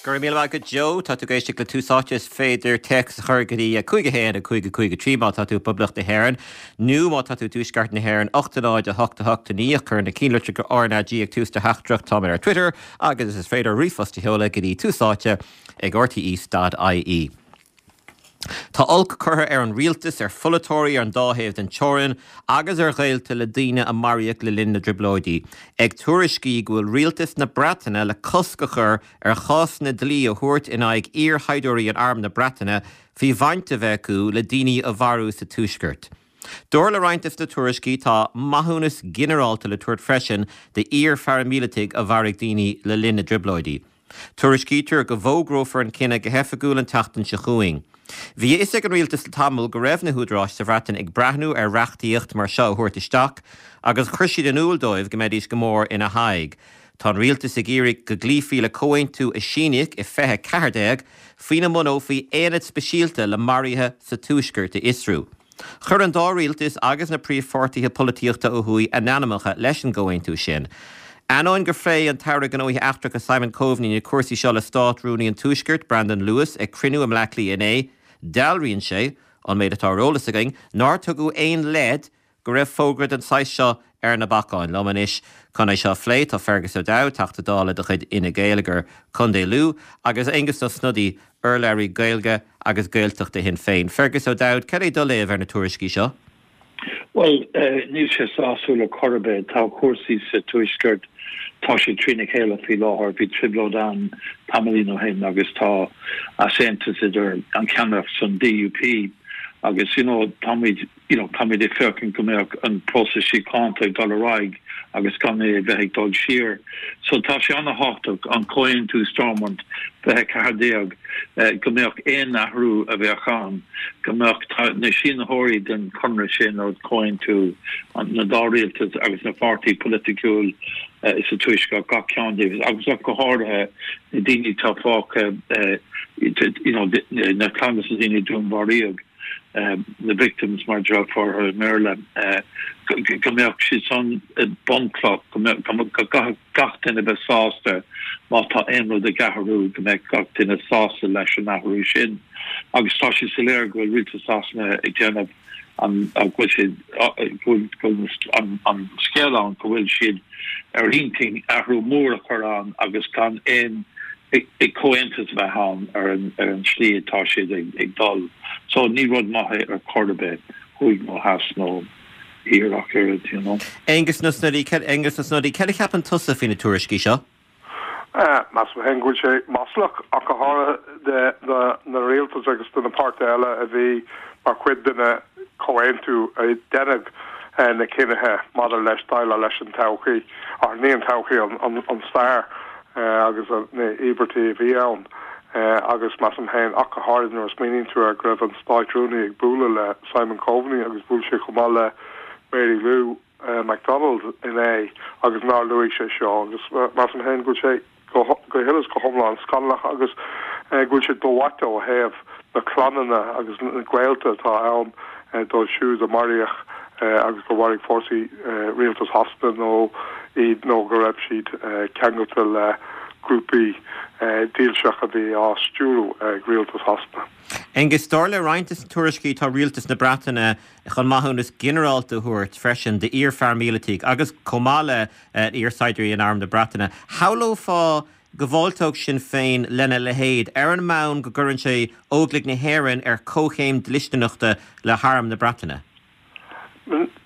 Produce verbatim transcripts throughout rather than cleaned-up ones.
Go raibh míle maith agat Joe, tá tú ag éisteacht le Tús Áite is féidir téacs a chur go dtí cúig a haon a cúig a cúig a trí má tá tú i bPoblacht na hÉireann nó má tá tú i dTuaisceart na hÉireann ocht a náid a hocht a hocht a naoi cuir na ceannlitreacha RnaG ag tús do theachtaireacht táimid ar Twitter agus is féidir ríomhphost a sheoladh go dtí tús áite ag rte.ie. Tá olc curtha ar an rialtas ar pholaiteoirí ar an dá thaobh den teorainn agus ar ghaolta le daoine a maraíodh le linn na dtrioblóidí, ag tuairiscí go bhfuil rialtas na Breataine le cosc a chur ar chásanna dlí a thabhairt in aghaidh iarshaighdiúirí in arm na Breataine faoi bhaint a bheith acu le daoine a mharú sa tuaisceart. Dar le roinnt de na tuairiscí tá maithiúnas ginearálta le tabhairt freisin d'iar-pharaimíleataigh a mharaigh daoine le linn na dtrioblóidí. Tuairiscítear go bhfógrófar an cinneadh go hoifigiúil an tseachtain seo chugainn. Bhí a fhios ag an rialtas le tamall go raibh na húdaráis sa Bhreatain ag breathnú ar reachtaíocht mar seo a thabhairt isteach, agus chuir siad in iúl dóibh go mbeidís go mór ina haghaidh. Tá an rialtas ag iarraidh go gcloífí le comhaontú a síníodh i fiche ceathair déag faoina mbunófaí aonad speisialta le maruithe sa tuaisceart a fhiosrú. Chuir an dá rialtas agus na príomhpháirtithe polaitíochta ó thuaidh a n-ainmneacha leis an gcomhaontú sin. Ainneoin gur phléigh an tAire Gnóthaí Eachtracha Simon Coveney na cúrsaí seo le Státrúnaí an Tuaiscirt, Brandon Lewis ag cruinniú i mBleá Cliath inné, dealraíonn sé an méid atá ar eolas againn nár tugadh aon leid go raibh fógra den saghas seo ar na bacáin. Liom anois chun é seo a phlé tá Fergus O'Dowd, Teachta Dála de chuid Fhine Gael i gContae Lú, agus Aengus Ó Snodaigh urlabhraí Gaeilge agus Gaeltachta Shinn Féin. Fergus O'Dowd, cad é do léamh ar na tuairiscí seo? Well, uh, níl sé sásúil ar chor ar bith tá cúrsaí sa tuaisceart tá sé trína chéile faoi láthair bhí trioblóid ann tamaillín ó shin agus tá easaontas idir an ceannaireacht san DUP agus you know, táimid you know, táimid ag féachaint go mbeadh an próiseas síochána ag dul ar aghaidh agus gan é bheith ag dul siar. So tá sé an-tábhachtach an comhaontú Stormont fiche ceathair déag eh, go mbeadh aon athrú a bheadh ann go mbeadh na sínitheoirí den chonradh sin nó comhaontú na dá rialtas agus na páirtí polaitiúil uh, sa tuaisceart gach ceann díobh agus ach go háirithe na daoine atá fágtha uh, you know, na clanna na daoine dúnmharaíodh. Um, the victims mar for i mBéarla uh, go mbeadh siad san bunchloch go gach duine bheith sásta má tá aon rud ag athrú go mbeadh gach duine sásta leis an athrú sin agus tá sé soiléir go bhfuil rialtas Shasana ag déanamh an bhfuil siad an scéal ann go bhfuil siad ar intinn athrú mór a chur ann agus gan aon ag comhaontas bheith ann ar an ar an slí atá siad ag, ag dul. So ní rud maith ar chor ar bith thuaidh nó theas nó thiar ach oiread, you know. Aengus Ó Snodaigh Aengus Ó Snodaigh cad a cheapann tusa faoi na tuairiscí seo? Measaim féin go bhfuil sé maslach ach go háirithe de na na rialtas agus de na páirtithe eile a bhí mar chuid den chomhaontú a deineadh na cinnithe maidir leis déileáil leis an todhchaí ach ní an todhchaí an, an, an stair agus na íobairtí a bhí ann. agus measaim féin ach go háirithe nuair a smaoiníonn tú ar go raibh an Státrúnaí ag bualadh le Simon Coveney agus bhuail sé chomh maith le Mary Lou uh, McDonald inné agus nár luaigh sé seo agus measaim féin go bhfuil sé go go huile is go hiomlán scannalach agus uh, go bhfuil sé dómhaite ó thaobh na clanna agus na gaolta atá ann uh, dóibh siúd a maraíodh uh, agus go mharaigh fórsaí uh, rialtas Shasana nó iad nó go raibh siad uh, ceangailte le grúpaí uh, dílseach a bhí á stiúradh ag rialtas Shasana. Aengus dar le roinnt de na tuairiscí tá rialtas na Breataine chun maithiúnas ginearálta a thabhairt freisin d'iar-pharaimíleataigh agus chomh maith le uh, iarshaighdiúirí in arm na Breataine. Shamhlófá go bhfáilteodh Sinn Féin lena leithéid ar an mbonn go gcuireann sé Óglaigh na hÉireann ar comhchéim dlisteanachta le harm na Breataine.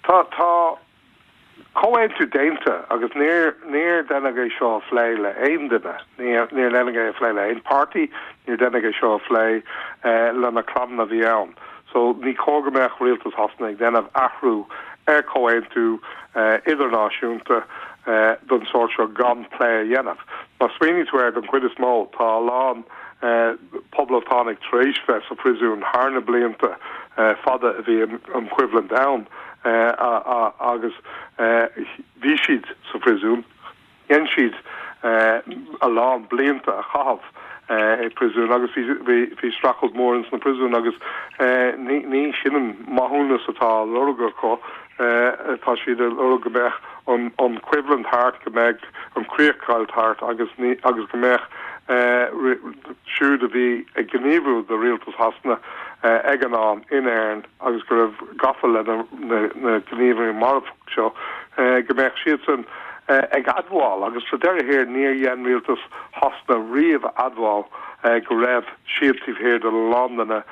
Tá tá comhaontú déanta agus níor níor deineadh é seo a phlé le aon duine níor deineadh é a phlé le aon pháirtí níor deineadh é seo a phlé eh, le na clanna a bhí ann. So ní cóir go mbeadh rialtas Shasana ag déanamh athrú ar comhaontú eh, idirnáisiúnta eh, den sórt seo gan plé a dhéanamh. Má smaoiníonn tú ar don chuid is mó tá a lán eh, poblachtánaigh tar éis bheith sa phríosún thar na blianta eh, fada a bhí an choimhlint ann. Eh, agus eh, bhí siad sa phríosún dhein siad eh, a lán blianta a chaitheamh i príosún agus bhí streachailt mór ins na príosúin agus ní sin an maithiúnas atá á lorg acu tá siad ag lorg go mbeadh an an choimhlint thart go mbeadh an chríochdheighilt thart agus ní agus go mbeadh siúd a bhí ag gníomhú do rialtas Shasana ag an am in Éirinn agus go raibh gafa le na gníomhartha marfacha seo, go mbeadh siadsan ag admháil agus sa deireadh thiar níor dhein rialtas Shasana riamh admháil go raibh siad taobh thiar de a lán de na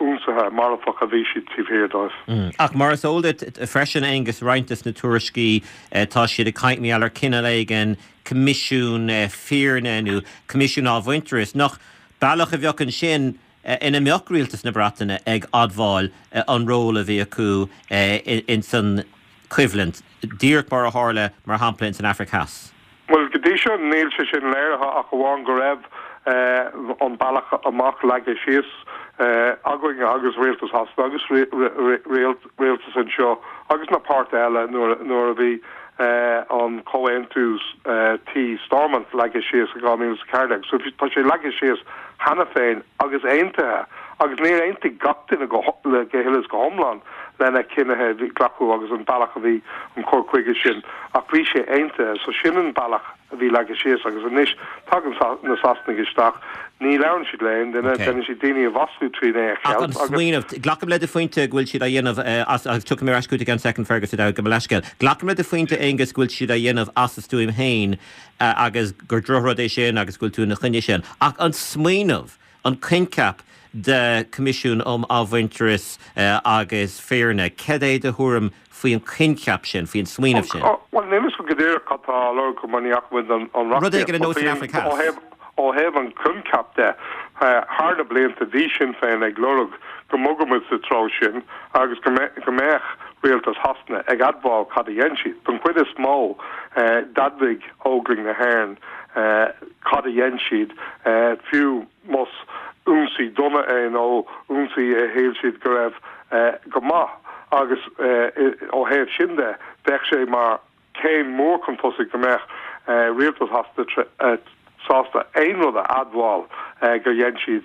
ionsaithe marfacha a bhí siad taobh thiar dóibh. Ach mar is eol duit freisin, Aengus, roinnt des na tuairiscí tá siad ag caint mar gheall ar cineál éigin coimisiún fírinne nó coimisiún athmhuintearais, nach bealach a bheadh ansin ina mbeadh rialtas na Breataine ag admháil an ról a bhí acu ins an choimhlint, díreach mar a tharla mar shampla ins an Afraic Theas? Bhuel, go dtí seo níl sé sin léirithe ach amháin go raibh an bealach amach leagtha síos againn agus rialtas Shasana agus rialtas anseo agus na páirtithe eile nuair a bhí an comhaontú tí Stormont leagtha síos i dhá mhíle is a ceathair déag. So tá sé leagtha síos cheana féin agus aontaithe agus níor aontaigh gach duine go huile is go hiomlán lena cinnithe a bhí glacadh agus an bealach a bhí an cur chuige sin ach bhí sé aontaithe so sin an bealach a bhí leagtha síos agus anois tagann na Sasanaigh isteach ní labhrann siad le haon duine déanann siad daoine a mhaslú tríd é a cheilt agus. Smaoineamh, glacaim le do phointe go bhfuil siad á dhéanamh as agus tiocfaidh mé ar ais chugat i gceann soicind Fergus O'Dowd gabh mo leithscéal. Glacaim le do phointe Aengus go bhfuil siad á dhéanamh as a stuaim féin agus gur drochrud é sin agus go bhfuil tú ina choinne sin. Ach an smaoineamh, an coincheap de Coimisiún um Athmhuintearas agus Fírinne, cad é do thuairim faoin choincheap sin, faoin smaoineamh sin? Bhuel, níl a fhios agam go díreach cad tá á lorg mar ní fhaca muid an Rud éigin ar nós an Afraic Theas. Ó thaobh an choincheap de, thar na blianta bhí Sinn Féin ag lorg go mbogfadh muid sa treo sin agus go mbeadh rialtas Shasana ag admháil cad a dhein siad. Don chuid is mó, d'admhaigh Óglaigh na hÉireann cad a dhein siad, fiú más ionsaí dona é nó ionsaí a shíl siad go raibh go maith agus ó thaobh sin de, bheadh sé mar céim mór chun tosaigh go mbeadh rialtas Shasana sásta aon rud a admháil gur dhein siad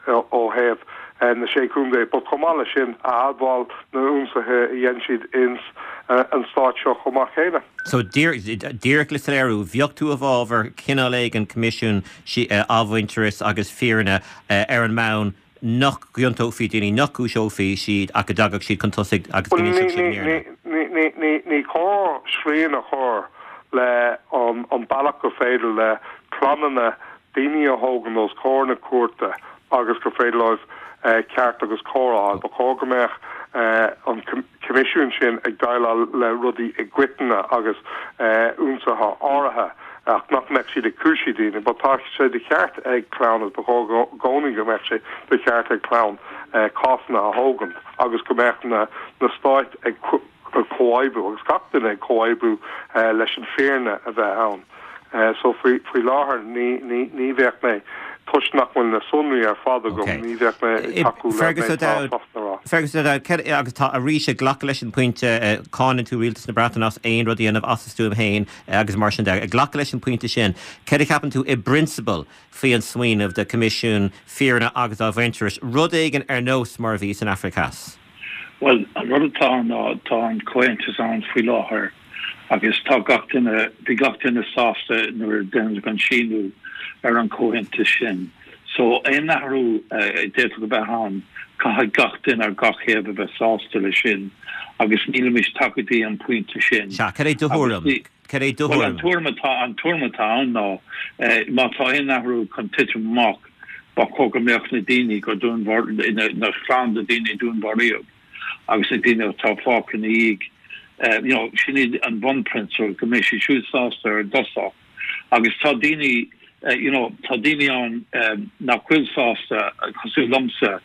ó thaobh na Sé Chontae, but chomh maith leis sin a admháil na ionsaithe a dhein siad ins an stát seo chomh maith céanna. So díreach le soiléiriú, bheadh tú i bhfabhar cineál éigin coimisiún athmhuintearais agus fírinne ar an mbonn nach gciontófaí daoine, nach gcúiseofaí siad ach go dtagadh siad chun tosaigh agus go n-inseodh siad an fhírinne? Ní cóir srian a chur le an bealach gur féidir le clannanna daoine a thógaint os comhair na cúirte agus gur féidir leo ceart agus cóir a fháil. Ba chóir go mbeadh an coimisiún sin ag déileáil le rudaí i gcoitinne agus ionsaithe áirithe ach nach mbeadh siad ag cúisiú daoine. But tá sé de cheart ag clann agus ba chóir i gcónaí go mbeadh sé de cheart ag clann cásanna a thógaint agus go mbeadh na stáit ag comhoibriú agus gach duine ag comhoibriú leis an fírinne a bheith ann. So faoi faoi láthair ní ní ní bheadh mé toisc nach bhfuil na sonraí ar fad agam, ní bheadh mé ag tacú le Fergus O'Dowd, Fergus O'Dowd, agus tá arís ag glacadh leis an pointe, cáineann tú rialtas na Breataine as aon rud a dhéanamh as a stuaim féin agus mar sin de. Ag glacadh leis an pointe sin, céard a cheapann tú i bprionsabal faoi an smaoineamh de Coimisiún Fírinne agus Athmhuintearais, rud éigin ar nós mar a bhí san Afraic Theas? Bhuel, an rud atá ann ná tá an comhaontas ann faoi láthair agus tá gach duine, bhí gach duine sásta nuair a deineadh an síniú ar an chomhaontas sin. So aon athrú a d'fhéadfadh a bheith ann, caithfidh gach duine ar gach thaobh a bheith sásta leis sin agus nílimid tagtha go dtí an pointe sin. Sea, cad é do thuairim? Cad é do thuairim? Bhuel, an tuairim atá, an tuairim atá ann ná má tá aon athrú chun titim amach, Ba chóir go mbeadh na daoine gur dúnmharaíodh, na clann de daoine a dúnmharaíodh agus na daoine atá fágtha ina dhiaidh, you know, sin iad an bunphrionsabal, go mbeidh siad siúd sásta ar dtosach. Agus tá daoine, you know, tá daoine ann nach bhfuil sásta, cosúil liomsa,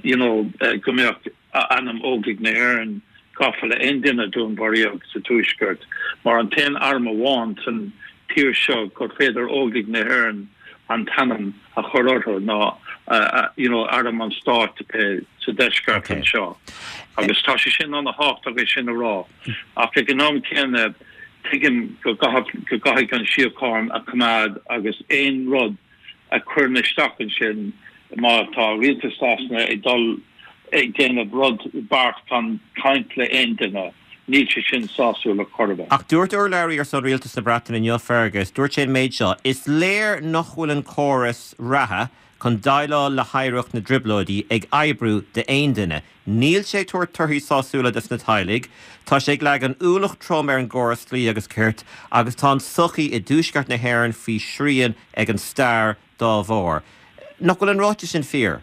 you know, go mbeadh ainm Óglaigh na hÉireann gafa le aon duine a dúnmharaíodh sa Tuaisceart, mar an t-aon arm amháin san tír seo gur féidir Óglaigh na hÉireann an t-ainm a chur orthu ná you know arm an stáit sa deisceart anseo. Agus tá sé sin an-tábhachtach é sin a rá. Ach ag an am céanna tuigim go gcaithfidh an síocháin a choimeád agus aon rud a chuireann isteach ansin má tá rialtas Shasana ag dul ag déanamh rud beart gan caint le aon duine Níl sé sin sásúil ar chor ar bith. Ach dúirt urlabhraí ar son Rialtas na Breataine inniu, Fergus, dúirt sé an méid seo, Is léir nach bhfuil an córas reatha chun déileáil le hoidhreacht na dTrioblóidí ag oibriú d'aon duine. Níl sé ag tabhairt torthaí sásúla dos na teaghlaigh, tá sé ag leagan ualach trom ar an gcóras dlí agus cirt agus tá an tsochaí i dtuaisceart na hÉireann faoi shrian ag an stair dá bharr. Nach bhfuil an ráiteas sin fíor?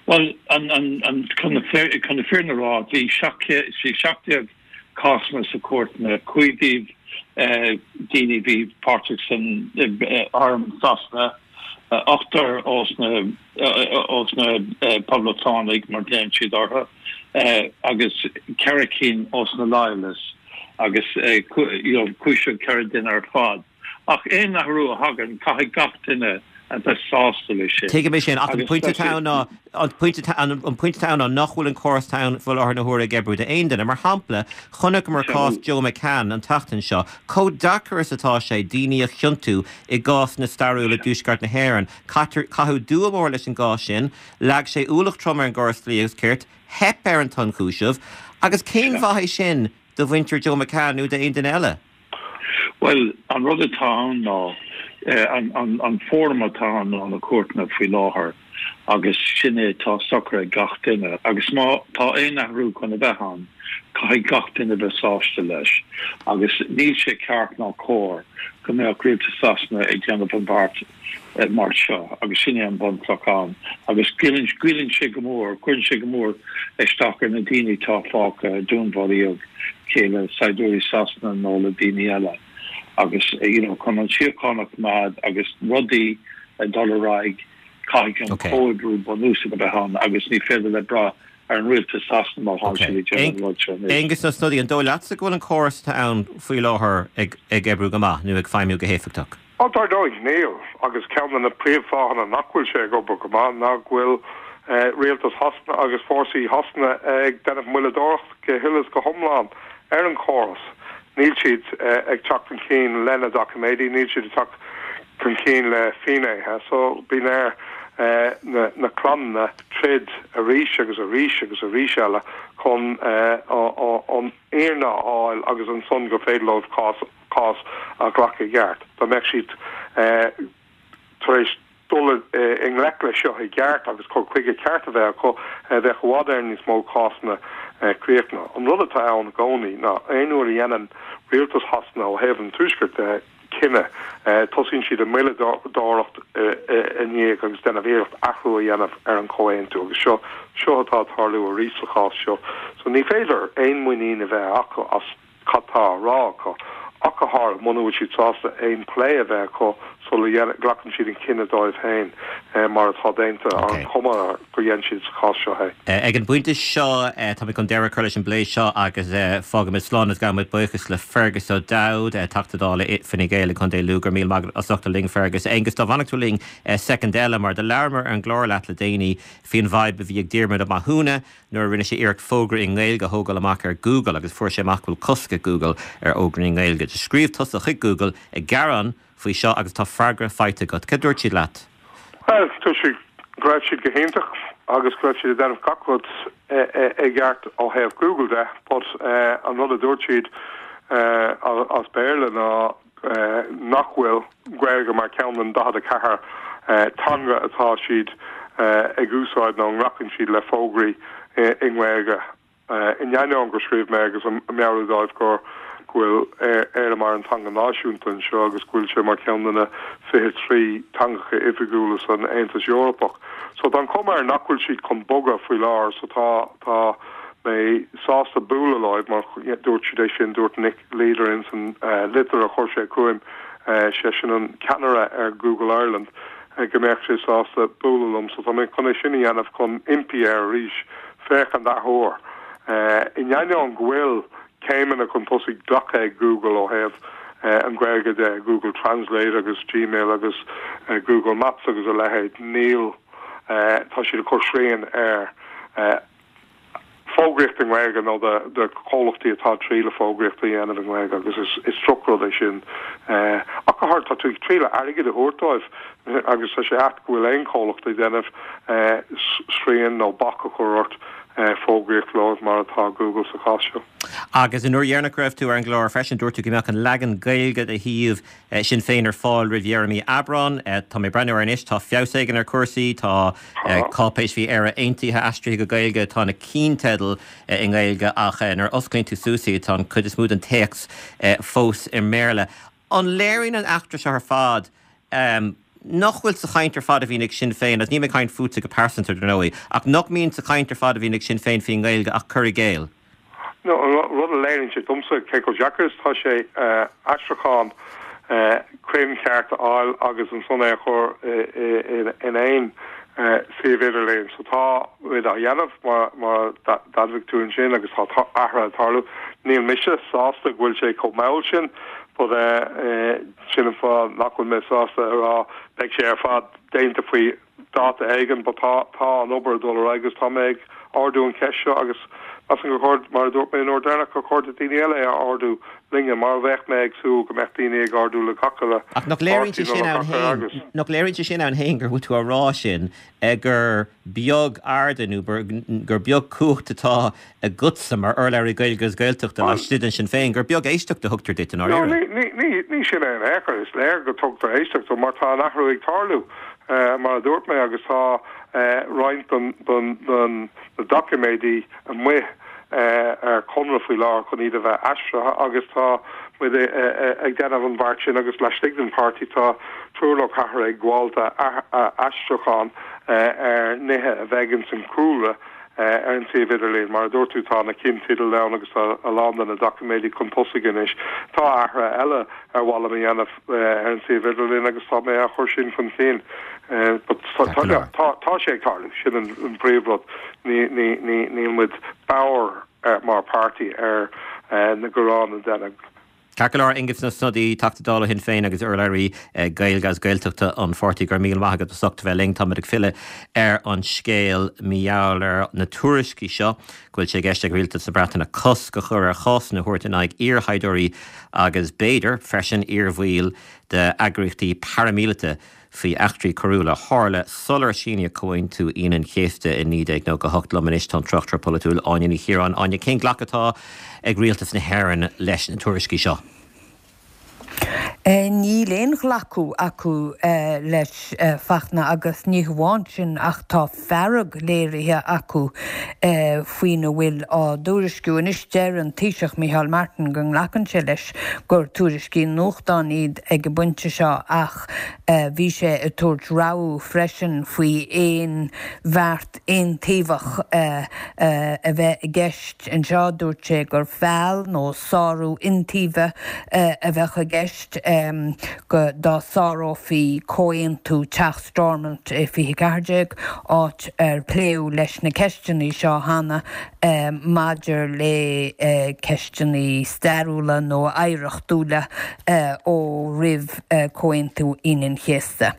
Bhuel, an, an, an, chun na fírinne a rá, bhí seacht déag cásanna sa cúirteanna, cúig díobh daoine a bhí páirteach san arm Sasana, ochtar ós na ós na poblachtánaigh mar glaonn siad orthu, agus ceithre cinn ós na Loyalists agus cúisíodh ceithre duine ar fad. Ach aon athrú a thagann, caithfidh gach duine a bheith sásta leis sin. Tuigim é sin, ach an pointe atá ann ná, an pointe atá ann, an pointe atá ann ná nach bhfuil an córas atá ann faoi láthair na huaire ag oibriú d'aon duine. Mar shampla, chonaiceamar cás Joe McCann an tseachtain seo, chomh deacair is atá sé daoine a chiontú i gcásanna stairiúla i dtuaisceart na hÉireann. Caitear, caitheadh dua mór leis an gcás sin, leag sé ualach trom ar an gcóras dlí agus cirt, theip ar an t-ionchúiseamh, agus cén mhaith é sin do mhuintir Joe McCann nó d'aon duine eile? Bhuel, an rud atá ann ná, an fóram atá ann ná na cúirteanna faoi láthair agus sin é atá socair ag gach duine. Agus má tá aon athrú chun a bheith ann, caithfidh gach duine bheith sásta leis. Agus níl sé ceart ná cóir go mbeadh rialtas Sasana ag déanamh an bheart mar seo agus sin é an bunchloch ann. Agus goilleann sé go mór, cuireann sé go mór isteach ar na daoine atá fágtha, dúnmharaíodh cé le saighdiúirí Sasana nó le daoine eile agus you know chun an tsíocháin a choimeád agus rudaí ag dul ar aghaidh caithfidh an comhoibriú bunúsach a bheith ann agus ní féidir le brath ar an rialtas Sasana má tá siad ag déanamh an rud seo anois. Aengus Ó Snodaigh, an dóigh leatsa go bhfuil an córas atá ann faoi láthair ag ag oibriú go maith nó ag feidhmiú go héifeachtach? Ó dar ndóigh níl, agus ceann de na príomhfháthanna nach bhfuil sé ag obair go maith ná go bhfuil rialtas Shasana agus fórsaí Shasana ag déanamh moilleadóireacht go huile is go hiomlán ar an chóras. Níl siad ag teacht chun cinn lena doiciméidí, níl siad ag teacht chun cinn le finnéithe. So bíonn ar na na clanna troid arís agus arís agus arís eile chun an fhírinne a fháil agus ansan gur féidir leo cás cás a ghlacadh i gceart. Dá mbeadh siad tar éis dul i ngleic leis seo i gceart agus cur chuige ceart a bheith acu, bheadh i bhfad Éireann níos mó cásanna críochnaithe. An rud atá ann i gcónaí ná aon uair a dhéanann rialtas Shasana ó thaobh an Tuaiscirt de cinneadh, tosaíonn siad ag moilleadóireacht i ndiaidh agus déanamh iarracht athrú a dhéanamh ar an chomhaontú agus seo seo atá ag tarlú arís sa chás seo. So ní féidir aon mhuinín a bheith acu as cad tá á rá acu, ach go háirithe muna bhfuil siad sásta aon plé a bheith acu sula nglacann siad an cinneadh dóibh féin, mar atá déanta, an chuma gur dhein siad sa chás seo é. Ag an bpointe seo, tá mé chun deireadh a chur leis an bplé seo agus fágfaimid slán agus gabhaimid buíochas le Fergus O'Dowd, Teachta Dála Fine Gael i gContae Lú. Go raibh míle maith agat as ucht a bheith linn, Fergus. Aengus, dá bhfanfadh tú linn soicind eile, mar do labhramar ar an gclár leat le déanaí faoin bhfadhb a bhí ag Diarmuid Ó Mathúna, nuair a rinne sé iarracht fógra i nGaeilge a thógáil amach ar Google agus fuair sé amach go bhfuil cosc ag Google ar fhógraí i nGaeilge. Do scríobh tusa chuig Google ag gearán faoi seo agus tá freagra faighte agat. Cad dúirt siad leat? Bhuel, dúirt siad go raibh siad go hiontach agus go raibh siad ag déanamh gach rud i gceart ó thaobh Google de, but an rud a dúirt siad as Béarla ná nach bhfuil Gaeilge mar ceann den daichead a ceathair teanga atá siad ag úsáid nó nglacann siad le fógraí i nGaeilge. In ainneoin gur scríobh mé agus ag meabhrú dóibh gur go bhfuil Éire mar an teanga náisiúnta anseo agus go bhfuil sé mar ceann de na fiche trí teangacha oifigiúla san Aontas Eorpach. So tá an chuma air nach bhfuil siad chun bogadh faoi láthair so tá tá mé sásta bualadh leo mar dúirt siad é sin, dúirt Nick Leader ins an litir a chuir sé chugam, seisean an ceannaire ar Google Ireland, go mbeadh sé sásta bualadh liom. So tá mé chun é sin a dhéanamh chun impí air arís féachaint athuair. In ainneoin go bhfuil céimeanna chun tosaigh glactha ag Google ó thaobh an Ghaeilge de, Google Translate agus Gmail agus Google Maps agus a leithéid, níl, tá siad ag cur srian ar fógraíocht i nGaeilge nó do chomhlachtaí atá ag triail fógraíocht a dhéanamh i nGaeilge agus is drochrud é sin. Ach go háirithe tá tú ag triail airgead a thabhairt dóibh agus tá sé ait go bhfuil aon chomhlacht ag déanamh srian nó bac a chur ort fógraíocht leo mar atá Google sa chás seo. Agus an uair dheireanach go raibh tú ar an gclár freisin, dúirt tú go mbeadh an leagan Gaeilge de shuíomh Sinn Féin ar fáil roimh dheireadh mí Aibreán. Tá mé ag breathnú air anois, tá feabhas éigin ar chúrsaí, tá cáipéis faoi Éire Aontaithe aistrithe go Gaeilge, tá na ceannteidil i nGaeilge ach nuair a osclaíonn tú suas í tá an chuid is mó den téacs fós i mBéarla. An léiríonn an eachtra seo ar fad nach bhfuil sa chaint ar fad a bhíonn ag Sinn Féin, agus níl mé ag caint fútsa go pearsanta dar ndóigh, ach nach mbíonn sa chaint ar fad a bhíonn ag Sinn Féin faoin nGaeilge ach cur i gcéill? No, an rud a léiríonn sé domsa cé chomh deacair is atá sé aistriúchán cruinn ceart a fháil agus ansan é a chur in aon suíomh idirlín. So tá muid á dhéanamh mar mar d'admhaigh tú ansin agus tá athruithe ag tarlú. Níl mise sásta go bhfuil sé chomh mall sin but sin an fáth nach bhfuil mé sásta a rá beidh sé ar fad déanta faoi dáta éigin, but tá tá an obair ag dul ar aghaidh agus tá mé ag ardú an cheist seo agus measaim gur chóir mar a dúirt mé an uair dheireanach gur chóir do daoine eile é a ardú linne mar a bheadh mé ag súil go mbeadh daoine ag ardú le gach uile Ach nach léiríonn sé sin ann féin nach léiríonn sé sin ann féin gur bhfuil tú á rá sin gur beag aird nó gur beag cumhacht atá agatsa mar urlabhraí Gaeilge agus Gaeltachta laistigh de Sinn Féin, gur beag éisteacht a thugtar duit i No, ní, ní, ní, ní sin é in aon chor, is léir go dtugtar éisteacht dom mar tá an athrú ag tarlú mar a dúirt mé agus tá roinnt den, den, den na doiciméidí amuigh ar conradh faoi láthair chun iad a bheith aistrithe agus tá muid ag déanamh an bheart sin agus laistigh den pháirtí tá triúr nó ceathrar ag gabháil d'aistriúchán ar nithe a bheidh ins an chúlra ar an suíomh idirlín. Mar a dúirt tú tá na ceannteidil ann agus tá a lán de na doiciméidí chun tosaigh anois. Tá athruithe eile ar mhaith liom a dhéanamh ar an suíomh idirlín agus tá mé á chur sin chun cinn. But tá tá sé ag tarlú sin an príomhrud ní ní ní níl muid bodhar mar pháirtí ar na gearáin a deineadh. Ceart go leor Aengus Ó Snodaigh, Teachta Dála Shinn Féin agus urlabhraí Gaeilge agus Gaeltachta an pháirtí go raibh míle maith agat as ucht a bheith linn. Táimid ag filleadh ar an scéal mar gheall ar na tuairiscí seo go bhfuil sé i gceist ag Rialtas na Breataine cosc a chur ar chásanna a thabhairt in aghaidh iarshaighdiúirí agus b'fhéidir freisin iarbhaill d'eagraíochtaí paraimíleata faoi eachtraí coiriúla a tharla sular síníodh Comhaontú Aoine an Chéasta i naoi déag nócha a hocht. Liom anois tá an tráchtaire polaitiúil Áine Ní Chiaráin. Áine, cén glacadh atá ag Rialtas na hÉireann leis na tuairiscí seo? Níl aon ghlacadh acu leis Fachtna agus ní hamháin sin ach tá fearg léirithe acu faoina bhfuil á dtuairisciú. Anois deir an Taoiseach Micheál Martin go nglacann sé leis gur tuairiscí nuachtáin iad ag an bpointe seo ach bhí sé ag tabhairt rabhadh freisin faoi aon bheart aontaobhach a bheith i gceist anseo. Dúirt sé gur feall nó sárú iontaoibhe a bheadh i gceist go dá sárófaí comhaontú Teach Stormont i fiche ceathair déag, áit ar pléadh leis na ceisteanna seo cheana maidir le ceisteanna stairiúla nó oidhreachtúla ó roimh Comhaontú Aoine an Chéasta.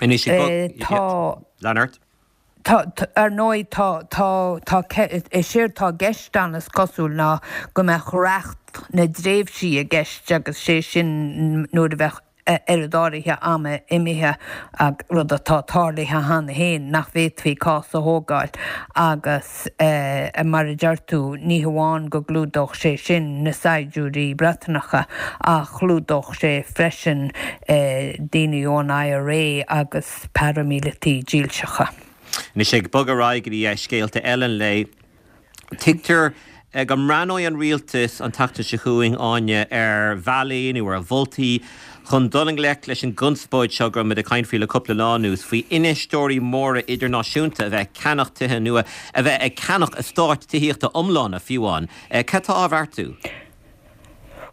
Anois ag Tá. Lean ort. Tá, ar ndóigh, tá, tá, tá, is éard tá i gceist ann is cosúil ná go mbeadh reacht na dtréimhsí i gceist agus sé sin nuair a bheadh oiread áirithe ama imithe, rud atá tarlaithe cheana féin, nach bhféadfaí cás a thógáil agus mar a deir tú, ní hamháin go gclúdódh sé sin na saighdiúirí Breatanacha ach chlúdódh sé freisin daoine ón IRA agus paraimíleataigh dílseacha. Anois ag bogadh ar aghaidh go dtí scéalta eile an lae, tuigtear go mbreathnóidh an rialtas an tseachtain seo chugainn, Áine, ar bhealaí nó ar mholtaí chun dul i ngleic leis an gconspóid seo go raibh muid ag caint faoi le cúpla lá anuas, faoi infheisteoirí móra idirnáisiúnta a bheith ag ceannach tithe nua, a bheith ag ceannach eastáit tithíochta iomlána fiú amháin. Cad tá á bheartú?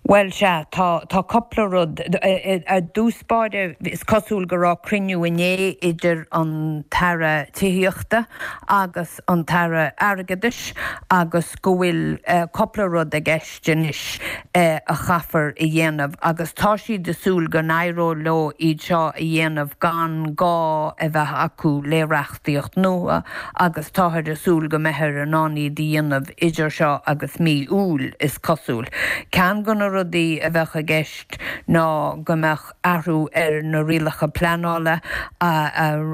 Bhuel, sea, tá, tá cúpla rud. I dtús báire, is cosúil go raibh cruinniú inné idir an tAire Tithíochta agus an tAire Airgeadais agus go bhfuil cúpla rud i gceist anois a chaithfear a dhéanamh agus tá siad ag súil go n-éireoidh leo iad seo a dhéanamh gan gá a bheith acu le reachtaíocht nua agus táthar ag súil go mbeifear in ann iad a dhéanamh idir seo agus mí Iúil, is cosúil. Ceann de na rudaí a bheadh i gceist ná go mbeadh athrú ar na rialacha pleanála,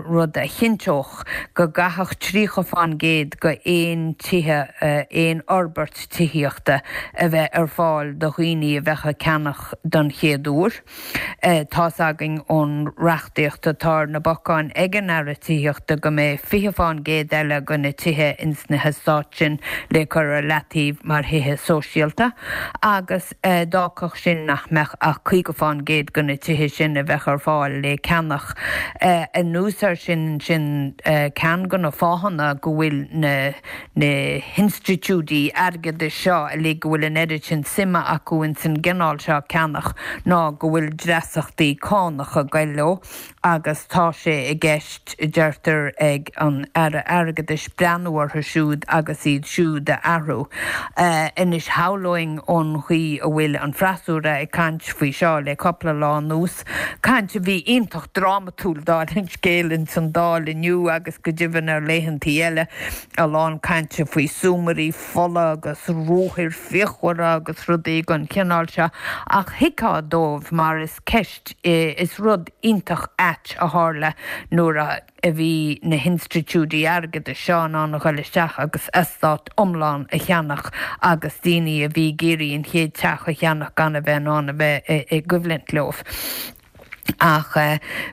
rud a chinnteodh go gcaithfeadh tríocha fán gcéad de aon tithe, aon fhorbairt tithíochta a bheith ar fáil do dhaoine a bheadh ag ceannach don chéad uair. Tá's againn ón reachtaíocht atá ar na bacáin ag an Aire Tithíochta go mbeidh fiche fán gcéad eile de na tithe ins na heastáit sin le cur ar leataobh mar thithe sóisialta agus d'fhágfadh sin nach mbeadh ach caoga fán gcéad de na tithe sin a bheadh ar fáil le ceannach. Anuas air sin, sin ceann de na fáthanna go bhfuil na na hinstitiúidí airgeadais seo uilig, go bhfuil an oiread sin suime acu ins an gcineál seo ceannach ná go bhfuil dreasachtaí cánach ag goil leo agus tá sé i gceist, deirtear, ag an Aire Airgeadais breathnú orthu siúd agus iad siúd a athrú. Anois shamhlóinn ón chaoi a bhfuil an freasúra ag caint faoi seo le cúpla lá anuas, caint a bhí iontach drámatúil dála an scéil ins an Dáil inniu agus go deimhin ar laethantaí eile, a lán cainte faoi súmairí fola agus ruathair fíochmhara agus rudaí den chineál seo, ach thuigfeá dóibh mar is ceist, is rud iontach ait a tharla nuair a bhí na hinstitiúidí airgeadais seo in ann a dhul isteach agus eastát iomlán a cheannach agus daoine a bhí ag iarraidh an chéad teach a cheannach gan a bheith in ann a bheith i gcoimhlint leo. Ach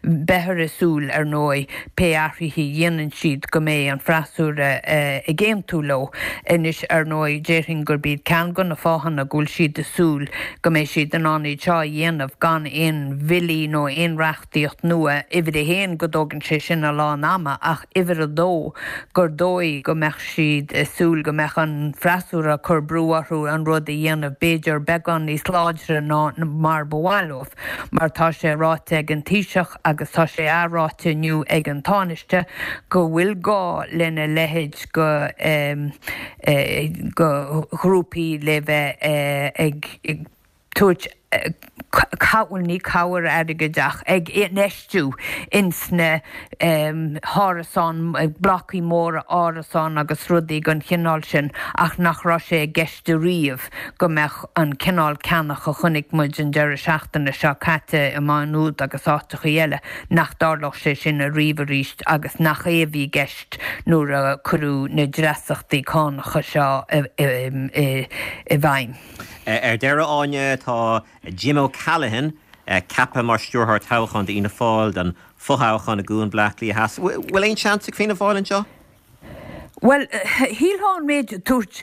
beifear ag súil, ar ndóigh, pé athruithe a dhéanann siad go mbeidh an freasúra ag aontú leo. Anois, ar ndóigh, déarfainn gurb iad ceann de na fáthanna go bhfuil siad ag súil go mbeidh siad in ann iad seo a dhéanamh gan aon bhillí nó aon reachtaíocht nua, uimhir a haon, go dtógann sé sin a lán ama, ach uimhir a dó, gur dóigh go mbeadh siad ag súil go mbeadh an freasúra ag cur brú orthu an rud a dhéanamh b'fhéidir beagán níos láidre ná mar ba mhaith leo. Mar tá sé ráite ag an Taoiseach agus tá sé athráite inniu ag an Tánaiste go bhfuil gá lena leithéid de ghrúpaí le bheith ag tabhairt, bhuel ní cabhair airgid ach ag infheistiú ins na hárasáin, blocaí móra árasán agus rudaí den chineál sin ach nach raibh sé i gceist ariamh go mbeadh an cineál ceannach a chonaic muid an deireadh seachtaine seo caite i Maigh Nuad agus áiteachaí eile, nach dtarlódh sé sin ariamh arís agus nach é a bhí i gceist nuair a cuireadh na dreasachtaí cánacha seo i bhfeidhm. Ar deireadh, Áine, tá Jim O'Callaghan ceaptha mar stiúrthóir toghcháin d'Fhianna Fáil don fhothoghchán i gCuan Bhaile Átha Cliath Theas. Bhfuil aon seans ag Fianna Fáil anseo? Bhuel, shílfeá an méid a dúirt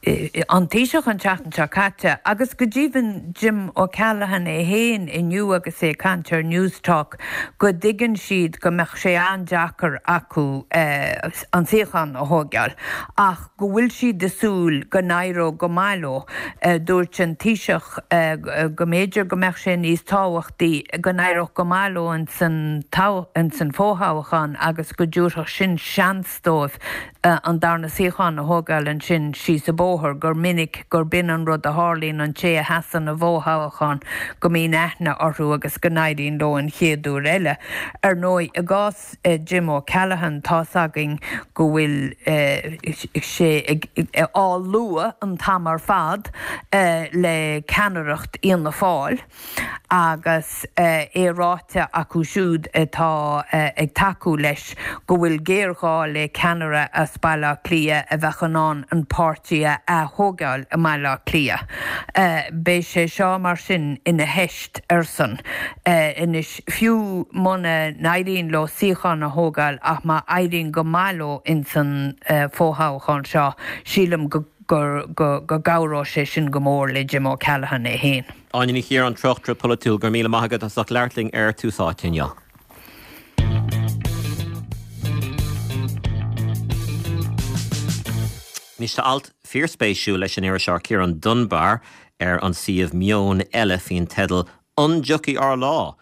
an Taoiseach an tseachtain seo caite, agus go deimhin Jim O'Callaghan é féin inniu agus é ag caint ar Newstalk, go dtuigeann siad go mbeadh sé an-deacair acu an suíochán a thóigeáil ach go bhfuil siad ag súil go n-éireodh go maith leo. Dúirt an Taoiseach go mb'fhéidir go mbeadh sé níos tábhachtaí go n-éireodh go maith leo ins an fhothoghchán agus go dtabharfadh sin seans dóibh an darna suíochán a thógáil ansin síos an bóthar, gur minic gurb in an rud a tharlaíonn, an té a sheasann i bhfothoghchán, go mbíonn aithne orthu agus go n-éiríonn leo an chéad uair eile. Ar ndóigh, i gcás Jim O'Callaghan, tá's againn go bhfuil sé á lua an t-am ar fad le ceannaireacht Fhianna Fáil agus é ráite acu siúd atá ag tacú leis go bhfuil géarghá le ceannaire as Baile Átha Cliath a bheadh in ann an páirtí a ath-thógáil i mBaile Átha Cliath. Beidh sé seo mar sin ina theist airsean anois, fiú muna n-éiríonn leo suíochán a thógáil ach má éiríonn go maith leo ins an fhothoghchán seo, sílim go go gcabhróidh sé sin go mór le Jim O'Callaghan é féin. Áine Ní Chiaráin, tráchtaire polaitiúil, go raibh míle maith agat as ucht labhairt linn ar Tús Áite inniu. Anois tá alt fíorspéisiúil leis an iriseoir Ciarán Dunbar ar an suíomh Meon Eile faoin teideal 'An dtiocfaidh ár lá?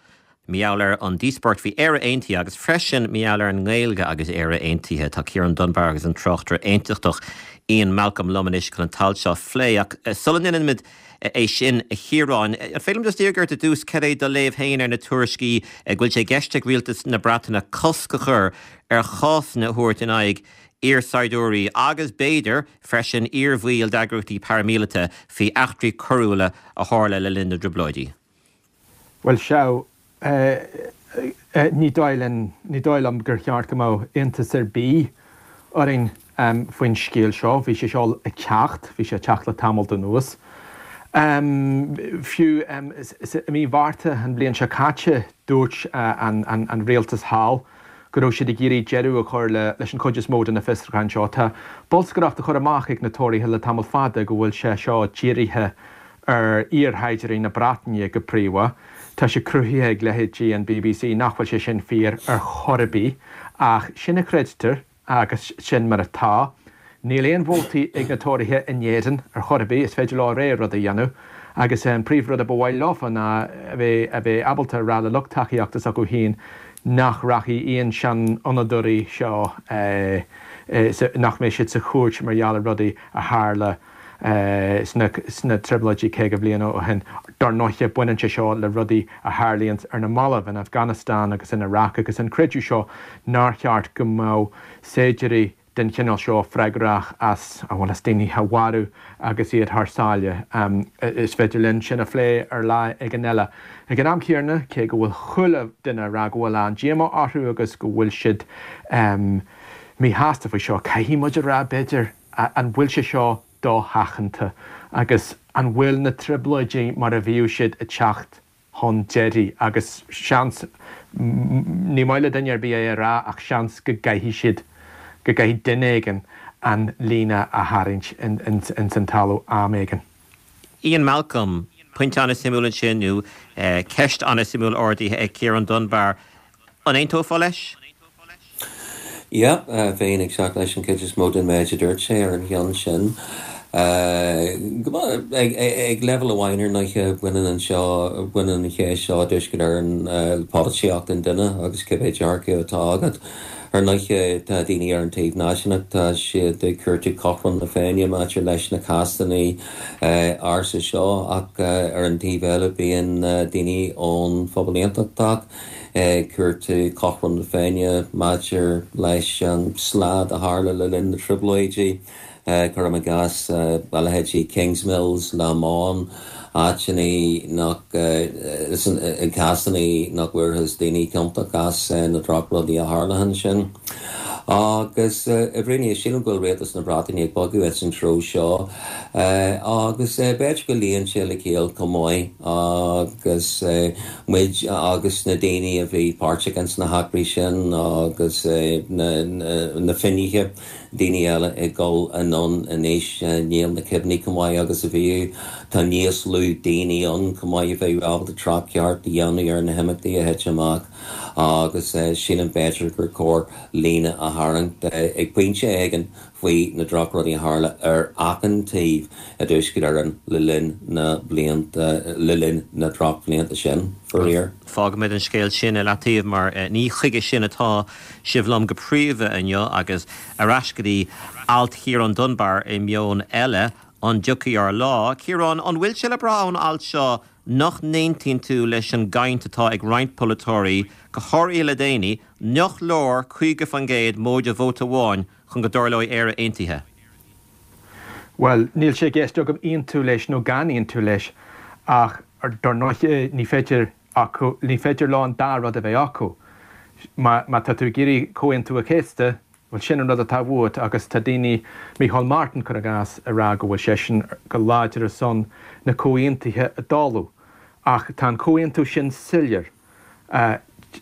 Mar gheall ar an díospóireacht faoi Éire Aontaithe agus freisin mar gheall ar an nGaeilge agus Éire Aontaithe. Tá Ciarán Dunbar agus an tráchtaire aontachtach Ian Malcolm liom anois chun an t-alt seo a phlé. Ach sula ndéanaimid é sin, a Chiaráin, an féidir liom just iarraidh ort i dtús cad é do léamh féin ar na tuairiscí go bhfuil sé i gceist ag rialtas na Breataine cosc a chur ar chásanna a thabhairt in aghaidh iarshaighdiúirí agus b'fhéidir freisin iarbhaill d'eagraíochtaí paraimíleata faoi eachtraí coiriúla a tharla le linn na dTrioblóidí. Bhuel sea, ní dóigh linn, ní dóigh liom gur cheart go mbeadh iontas ar bith orainn faoin scéal seo. Bhí sé seo ag teacht, bhí sé ag teacht le tamall anuas. Fiú i mí Mhárta an bhliain seo caite dúirt an rialtas thall go raibh siad ag iarraidh deireadh a chur leis an chuid is mó de na fiosrúcháin seo. Tá bolscaireacht á chur amach ag na Tóraithe le tamall fada go bhfuil sé seo dírithe ar iarshaighdiúirí na Breataine go príomha. Tá sé cruthaithe ag leithéidí an BBC nach bhfuil sé sin fíor ar chor ar bith, ach sin a chreidtear agus sin mar atá. Níl aon vótaí ag na Tóraithe in Éirinn ar chor ar bith, is féidir leo a rogha rud a dhéanamh agus an príomhrud a ba mhaith leofa ná a bheith a bheith ábalta a rá le lucht tacaíochta s'acu féin nach rachaidh aon sean-fhonnadóirí seo nach mbeidh siad sa chúirt mar gheall ar rudaí a tharla sna Trioblóidí caoga bliain ó shin. Dar ndóighe, baineann sé seo le rudaí a tharlaíonns ar na mallaibh in Afghanistan agus in Iraq agus an creideamh seo nár cheart go mbeadh saighdiúirí den chineál seo freagrach as, bhuel, as daoine a mharú agus iad thar sáile. Is féidir linn sin a phlé ar lá éigin eile. Ag an am céanna, cé go bhfuil chuile duine ag rá go bhfuil an-díomá orthu agus go bhfuil siad míshásta faoi seo, caithfidh muid a rá, b'fhéidir, an bhfuil sé seo dosheachanta agus an bhfuil na trioblóidí mar a bhíodh siad ag teacht chun deiridh agus seans, ní maith le duine ar bith é a rá ach seans go gcaithfidh siad, go gcaithfidh duine éigin an líne a tharraingt ins an talamh am éigin. Ian Malcolm, Pointe an-suimiúil ansin nó ceist an-suimiúil ardaithe ag Ciarán Dunbar. An aontófá leis? Yeah, bheinn ag teacht leis an chuid is mó den méid a dúirt sé ar an cheann sin. Ag leibhéal amháin ar ndóighe baineann an seo, baineann an cheist seo i dTuaisceart Éireann le polaitíocht an duine agus cibé dearcadh atá agat. Ar ndóighe tá daoine ar an taobh náisiúnach, tá siad ag cuartú cothrom na Féinne maidir leis na cásanna ársa seo ach ar an taobh eile bíonn daoine ón phobal aontachtach ag cuartú cothrom na Féinne maidir leis an slad a tharla le linn na Trioblóidí, cuirim i gcás, a leithéidí Kingsmills, Lamont, áiteanna nach, cásanna nach bhfuarthas daoine ciontach as na drochrudaí a tharla ansin. Agus i bhfírinne, sílim go bhfuil rialtas na Breataine ag bogadh ins an treo seo agus b'fhéidir go luíonn sé le ciall chomh maith agus muid agus na daoine a bhí páirteach ins na heachtraí sin agus na finnéithe, daoine eile ag dul anonn in aois, níl na cuimhní chomh maith agus a bhíodh, tá níos lú daoine ann chomh maith a bheadh ábalta trácht ceart a dhéanamh ar na himeachtaí a thit amach agus sílim b'fhéidir gur chóir líne a tharraingt ag pointe éigin faoi na drochrudaí a tharla ar achan taobh i dTuaisceart Éireann le linn na blianta, le linn na drochbhlianta sin, faraor. Fágfaimid an scéal sin i leataobh mar ní chuige sin atá sibh liom go príomha inniu agus ar ais go dtí alt Chiaráin Dunbar i Meon Eile, An dtiocfaidh ár lá? Ciarán, an bhfuil sé le brath ón alt seo nach n-aontaíonn tú leis an gcaint atá ag roinnt polaiteoirí, go háirithe le déanaí, nach leor caoga faoin gcéad móide vóta amháin chun go dtarlóidh Éire Aontaithe? Bhuel, níl sé i gceist agam aontú leis nó gan aontú leis, ach dar ndóigh ní féidir acu, ní féidir leo an dá rud a bheith acu. Má tá tú ag iarraidh Comhaontú an Chéasta, bhuel sin an rud atá uait agus tá daoine, Micheál Martin cuir i gcás, ag rá go bhfuil seisean go láidir ar son na comhaontuithe a dháileadh. Ach tá an comhaontú sin soiléir.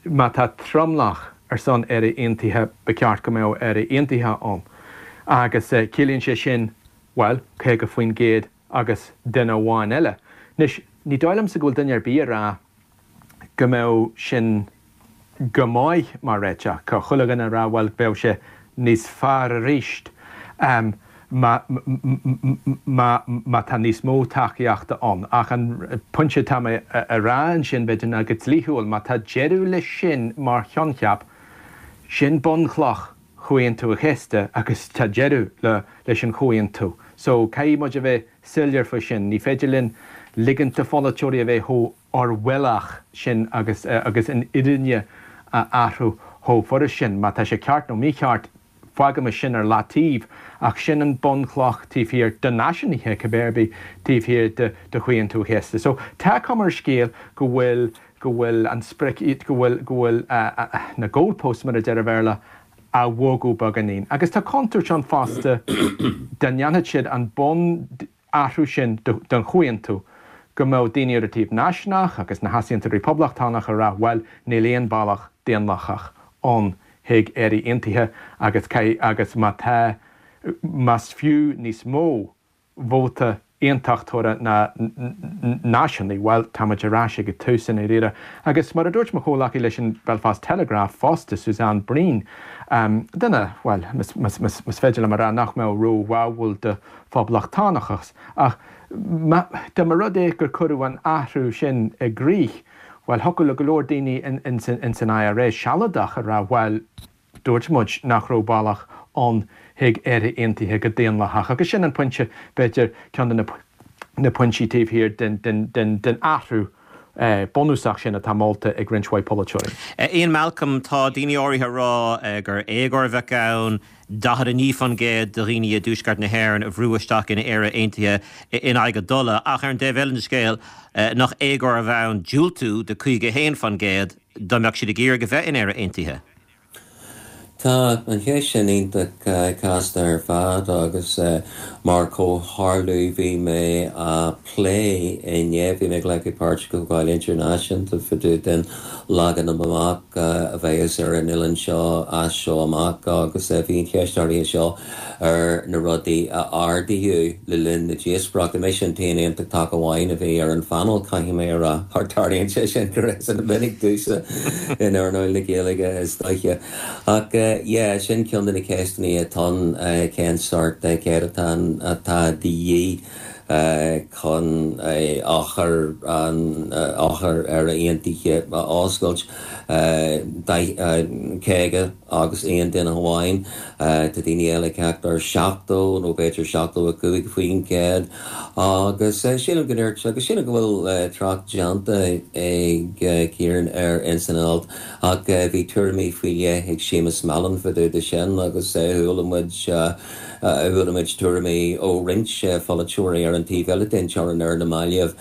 Má tá tromlach ar son Éire Aontaithe ba cheart go mbeadh Éire Aontaithe ann. Agus ciallaíonn sé sin, bhuel, caoga faoin gcéad agus duine amháin eile. Anois, ní dóigh liomsa go bhfuil duine ar bith ag rá go mbeadh sin go maith mar réiteach. Tá chuile dhuine ag rá, bhuel, bheadh sé níos fearr arís má má tá níos mó tacaíochta ann. Ach an pointe atá mé a rá ansin, b'fhéidir, ná go dlíthiúil, má tá deireadh leis sin mar choincheap, sin bunchloch Chomhaontú an Chéasta agus tá deireadh le leis an chomhaontú. So, caithfidh muid a bheith soiléir faoi sin. Ní féidir linn ligint do pholaiteoirí a bheith chomh Orwellach sin agus agus an fhírinne a athrú chomh furast sin. Má tá sé ceart nó mícheart, Fágaimis sin ar leataobh ach sin an bunchloch taobh thiar de náisiúnaithe cibé ar bith taobh thiar de de Chomhaontú an Chéasta. So tá cuma ar an scéal go bhfuil go bhfuil an sprioc go bhfuil go bhfuil na goalposts mar a deir an Béarla á bhogadh beagáinín. Agus tá contúirt ann fosta dá ndéanfadh siad an bunathrú sin don chomhaontú, go mbeadh daoine ar an taobh náisiúnach agus na heasaontóirí poblachtánacha ag rá bhuel níl aon bealach daonlathach ann chuig Éire Aontaithe agus agus má tá más fiú níos mó vóta aontachtóra ná náisiúnaí, bhuel, táimid ar ais ag an tús i ndáiríre. Agus mar a dúirt mo chomhghleacaí leis an Belfast Telegraph fosta, Suzanne Breen, duine, bhuel, más féidir liom a rá nach mbeadh róbháúil do phoblachtánachas, ach dá mba rud é gur cuireadh an athrú sin i gcrích, bhuel, thiocfadh le go leor daoine ins an I R A sealadach a rá, bhuel, dúirt muid nach raibh bealach ann chuig Éire Aontaithe go daonlathach. Agus sin an pointe, b'fhéidir, ceann de na pointí taobh thiar den athrú bunúsach sin atá molta ag roinnt mhaith polaiteoirí. Ian Malcolm, tá daoine áirithe ag rá gur éagóir a bheadh ann daichead a naoi faoin gcéad de dhaoine i dTuaisceart na hÉireann a bhrú isteach in Éire Aontaithe in aghaidh a dtola, ach ar an dtaobh eile den scéal, nach éagóir a bheadh ann diúltú do caoga a haon faoin gcéad dá mbeadh siad ag iarraidh a bheith in Éire Aontaithe? Tá an cheist sin iontach casta ar fad agus mar chomhtharlú bhí mé á plé inné, bhí mé ag glacadh páirt i gcomhdháil idirnáisiúnta fá dtaobh den leagan amach a bheas ar an oileán seo as seo amach agus bhí an cheist áirithe seo ar na rudaí a ardaíodh le linn na díospóireachta. Mise an t-aon aontachtach amháin a bhí ar an phainéal, caithfidh mé a rá, thar tarlaíonn sé sin go minic domhsa in earnáil na Gaeilge is dóiche. Ach yeah, sin ceann de na ceisteanna atá ann, cén sórt céatadán atá de dhíth chun eochair an eochair Éire Aontaithe a oscailt. Caoga agus aon duine amháin, tá daoine eile ag teacht ar seachtó nó b'fhéidir seachtó a cúig faoin gcéad agus sílim go ndúirt agus sílim go bhfuil trácht déanta ag Ciarán air ins an alt ach bhí tuairimí faoi leith ag Séamus Mallon fá dtaobh de sin agus chuala muid chuala muid tuairimí ó roinnt pholaiteoirí ar an taobh eile den teorainn ar na mallaibh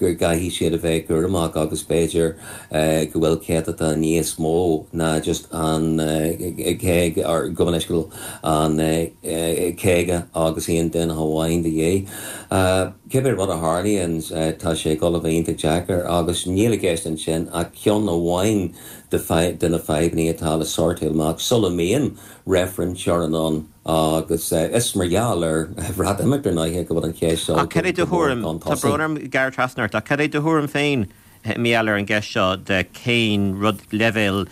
go gcaithfidh siad a bheith cúramach agus b'fhéidir go bhfuil céatadán níos mó ná just an caoga ar go bhfuil an caoga agus aon duine amháin de dhíth. Cibé rud a tharlaíonn tá sé ag dul a bheith iontach deacair agus níl i gceist ansin ach ceann amháin de na fadhbanna atá le sortáil amach sula mbíonn reifreann teorann ann agus is mar gheall ar Bhreatimeacht ar ndóigh go bhfuil an cheist seo Ach cad é do thuairim, tá brón orm gearradh trasna ort, ach cad é do thuairim féin maidir ar an gceist seo de cén rud leibhéal